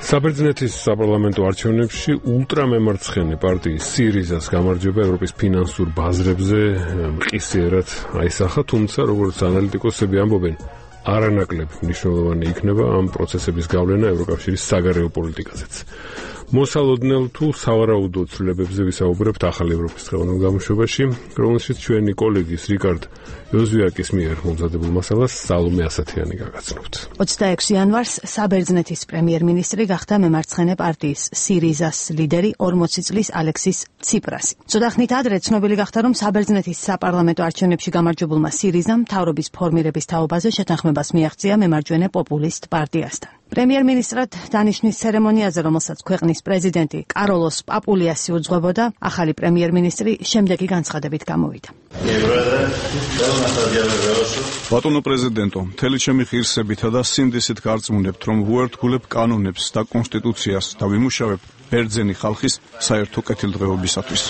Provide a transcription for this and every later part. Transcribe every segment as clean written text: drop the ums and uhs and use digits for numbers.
საბერძნეთის საპარლამენტო არჩევნებში ულტრამემარცხენე პარტიის სირიზას გამარჯვება ევროპის ფინანსურ ბაზრებზე მყისიერად აისახა, თუმცა როგორც ანალიტიკოსები ამბობენ, არანაკლებ მნიშვნელოვანი იქნება ამ პროცესების გავლენა ევროკავშირის საგარეო პოლიტიკაზეც. მოსალოდნელ თუ სავარაუდო ცვლილებებზე ვისაუბრებთ ახალ ევროპის დღევანდელ გამოშვებაში, რომელშიც ჩვენი კოლეგის რიკარდ იოზვიაკის მიერ მომზადებულ მასალას სალომე ასათიანი გაგაცნობთ. 26 იანვარს საბერძნეთის პრემიერ-მინისტრი გახდა მემარცხენე პარტიის სირიზას ლიდერი 40 წლის ალექსის ციპრასი. ცოტა ხნით ადრე ცნობილი გახდა, რომ საბერძნეთის საპარლამენტო არჩევნებში გამარჯვებულმა სირიზამ მთავრობის ფორმირების თაობაზე შეთანხმებას მიაღწია მემარჯვენე პოპულისტ პარტიასთან. პრემიერ-მინისტრად დანიშნვის ცერემონიაზე, რომელსაც ქვეყნის პრეზიდენტი კაროლოს პაპულიასი უძღვებოდა, ახალი პრემიერ-მინისტრი შემდეგი განცხადებით გამოვიდა. ბატონო პრეზიდენტო, მთელი ჩემი ღირსებითა და სინდისით გარწმუნებთ, რომ ვუერთგულებ კანონებს და კონსტიტუციას და ვიმუშავებ ბერძენი ხალხის საერთო კეთილდღეობისათვის.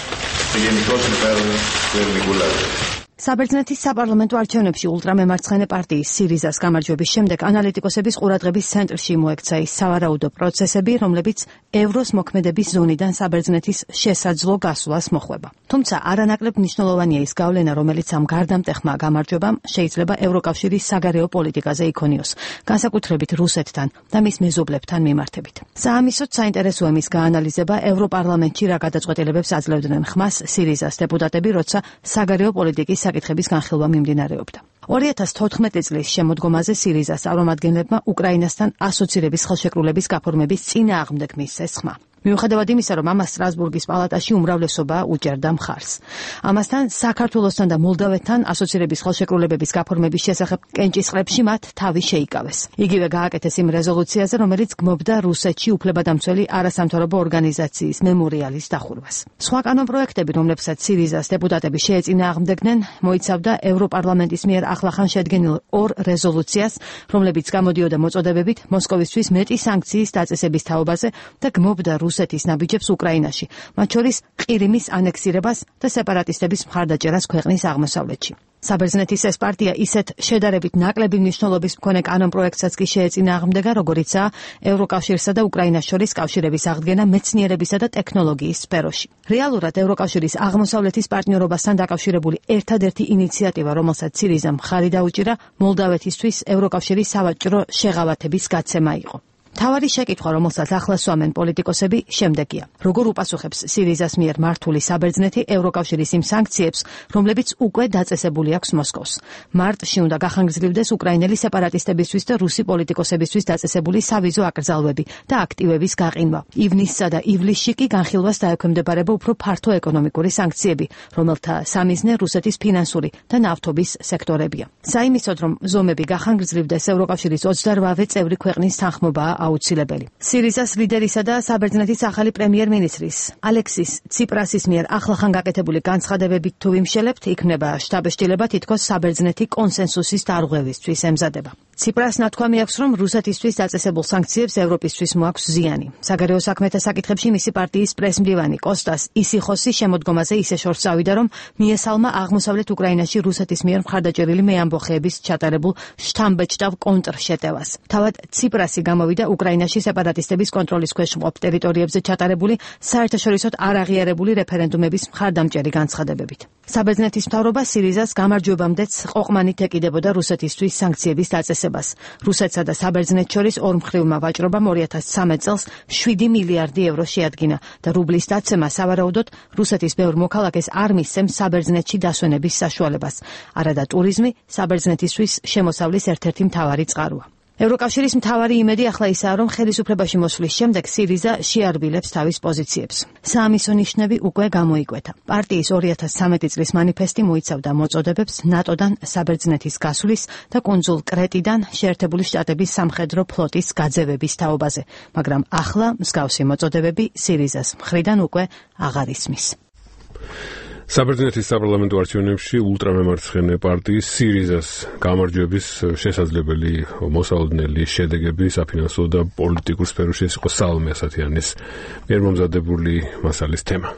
საბერძნეთის საპარლამენტო არჩევნებში ულტრამემარცხენე პარტიის სირიზას გამარჯვების შემდეგ ანალიტიკოსების ყურადღების ცენტრში მოექცა ის სავარაუდო პროცესები, რომლებიც ევროს მოქმედების ზონიდან საბერძნეთის შესაძლო გასვლას მოხვება. თუმცა არანაკლებ მნიშვნელოვანია ის გავლენა, რომელიც ამ გარდამტეხმა გამარჯვებამ შეიძლება ევროკავშირის საგარეო პოლიტიკაზე იქონიოს, განსაკუთრებით რუსეთთან და მის მეზობლებთან მიმართებით. საამისოდ საინტერესოა მის გაანალიზება ევროპარლამენტში რა გადაწყვეტილებებს აძლევდნენ ხმას სირიზას დეპუტატები, როცა საგარეო პოლიტიკის საკითხების განხილვა მიმდინარეობდა. 2014 წლის შემოდგომაზე სირიზას წარმომადგენლებმა უკრაინასთან ასოცირების ხელშეკრულების გაფორმების წინააღმდეგ მისცეს ხმა. მიუხედავად იმისა, რომ ამას სტრასბურგის პალატაში უმრავლესობა უჭერდა მხარს. ამასთან საქართველოსთან და მოლდავეთთან ასოცირების ხელშეკრულებების გაფორმების შესახებ კენჭისყრებში მათ თავი შეიკავეს. იგივე გააკეთეს იმ რეზოლუციაზე, რომელიც გმობდა რუსეთში უფლებადამცველი არასამთავრობო ორგანიზაციის მემორიალის დახურვას. სხვა კანონპროექტები, რომლებსაც სირიზას დეპუტატები შეეწინააღმდეგნენ, მოიცავდა ევროპარლამენტის მიერ ახლახან შედგენილ 2 რეზოლუციას, რომლებიც გამოდიოდა მოწოდებებით მოსკოვისთვის მეტი სანქციის დაწესების თაობაზე და გმობდა რუსეთის ნაბიჯებს უკრაინაში, მათ შორის ყირიმის ანექსირებას და სეპარატისტების მხარდაჭერას ქვეყნის აღმოსავლეთში. საბერძნეთის ეს პარტია ისეთ შედარებით ნაკლები მნიშვნელობის მქონე კანონპროექტსაც კი შეეწინააღმდეგა, როგორიცაა ევროკავშირსა და უკრაინას შორის კავშირების აღდგენა მეცნიერებისა და ტექნოლოგიის სფეროში. რეალურად ევროკავშირის აღმოსავლეთის პარტნიორობასთან დაკავშირებული ერთადერთი ინიციატივა, რომელსაც სირიზამ მხარი დაუჭირა, მოლდავეთისთვის ევროკავშირის სავაჭრო შეღავათების გაცემა იყო. მთავარი შეკითხვა, რომელსაც ახლა სვამენ პოლიტიკოსები, შემდეგია. როგორ უპასუხებს სირიზას მიერ მართული საბერძნეთი ევროკავშირის იმ სანქციებს, რომლებიც უკვე დაწესებული აქვს მოსკოვს. მარტში უნდა გახანგრძლივდეს უკრაინელი სეპარატისტებისთვის და რუსი პოლიტიკოსებისთვის დაწესებული სავიზო აკრძალვები და აქტივების გაყინვა. ივნისსა და ივლისში კი განხილვას დაექვემდებარება უფრო ფართო ეკონომიკური სანქციები, რომელთა სამიზნე რუსეთის ფინანსური და ნავთობის სექტორებია. საიმისოდ, რომ ზომები გახანგრძლივდეს, ევროკავშირის 28 წევრი ქვეყნის თანხმობაა აუცილებელი. სირიზას ლიდერისა და საბერძნეთის ახალი პრემიერ-მინისტრის ალექსის ციპრასის მიერ ახლახან გაკეთებული განცხადებებით თუ ვიმშელებთ, იქნება შთაბეჭდილება თითქოს საბერძნეთი კონსენსუსის დარღვევისთვის ემზადება. ციპრას ნათქვამი აქვს, რომ რუსეთისთვის დაწესებულ სანქციებს ევროპისთვის მოაქვს ზიანი. საგარეო საქმეთა საკითხებში მისი პარტიის პრესმდივანი კოსტას ისიხოსი შემოდგომაზე ისე შორს წავიდა, რომ მიესალმა აღმოსავლეთ უკრაინაში რუსეთის მიერ მხარდაჭერილი მეამბოხეების ჩატარებულ შთამბეჭდავ კონტრშეტევას. თავად ციპრასი გამოვიდა უკრაინაში სეპარატისტების კონტროლის ქვეშ მყოფ ტერიტორიებზე ჩატარებული საერთაშორისოდ არაღიარებული რეფერენდუმების მხარდამჭერი განცხადებებით. საბერძნეთის მთავრობა სირიზას გამარჯვებამდეც ყოყმანით ეკიდებოდა რუსეთისთვის სანქციების დაწესებას. რუსეთსა და საბერძნეთს შორის ორმხრივმა ვაჭრობამ 2013 წელს 7 მილიარდი ევრო შეადგინა და რუბლის დაცემა სავარაუდოდ რუსეთის ბევრ მოქალაქეს არ მისცემს საბერძნეთში დასვენების საშუალებას. არადა ტურიზმი საბერძნეთისთვის შემოსავლის ერთ-ერთი მთავარი წყაროა. ევროკავშირის მთავარი იმედი ახლა ისაა, რომ ხელისუფლებაში მოსვლის შემდეგ სირიზა შეარბილებს თავის პოზიციებს. საამისო ნიშნები უკვე გამოიკვეთა. პარტიის 2013 წლის მანიფესტი მოიცავდა მოწოდებებს ნატოდან საბერძნეთის გასვლის და კუნძულ კრეტიდან შეერთებული შტატების სამხედრო ფლოტის გაძევების თაობაზე, მაგრამ ახლა მსგავსი მოწოდებები სირიზას მხრიდან უკვე აღარ ისმის. საბერძნეთის საპარლამენტო არჩევნებში ულტრამემარცხენე პარტიის სირიზას გამარჯვების შესაძლებელი მოსალოდნელი შედეგები საფინანსო და პოლიტიკურ სფეროში იყო სალომე ასათიანის მიერ მომზადებული მასალის თემა.